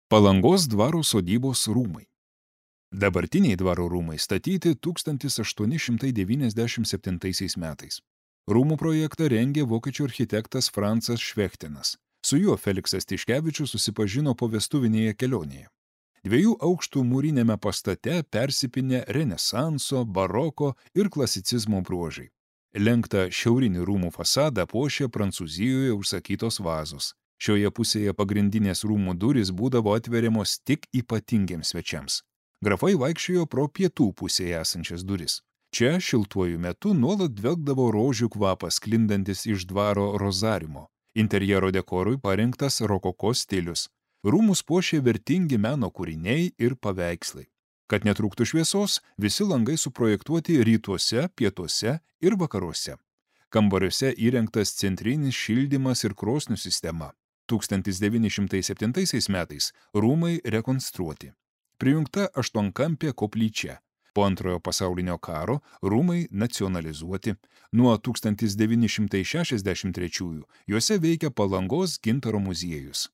Palangos dvaro sodybos rūmai. Dabartiniai dvaro rūmai statyti 1897 metais. Rūmų projektą rengė vokiečių architektas Francas Švechtinas. Su juo Feliksas Tiškevičius susipažino povestuvinėje kelionėje. 2 aukštų mūrinėme pastate persipinę renesanso, baroko ir klasicizmo bruožai. Lenktą šiaurinį rūmų fasadą puošė Prancūzijoje užsakytos vazos. Šioje pusėje pagrindinės rūmų durys būdavo atveriamos tik ypatingiems svečiams. Grafai vaikščiojo pro pietų pusėje esančias duris. Čia šiltuoju metu nuolat dvelkdavo rožių kvapas sklindantis iš dvaro rozariumo. Interjero dekorui parinktas rokoko stilius. Rūmus puošė vertingi meno kūriniai ir paveikslai. Kad netrūktų šviesos, visi langai suprojektuoti rytuose, pietuose ir vakaruose. Kambariuose įrengtas centrinis šildymas ir krosnių sistema. 1907 metais rūmai rekonstruoti. Prijungta 8-kampė koplyčia. Po Antrojo pasaulinio karo rūmai nacionalizuoti. Nuo 1963 juose veikia Palangos gintaro muziejus.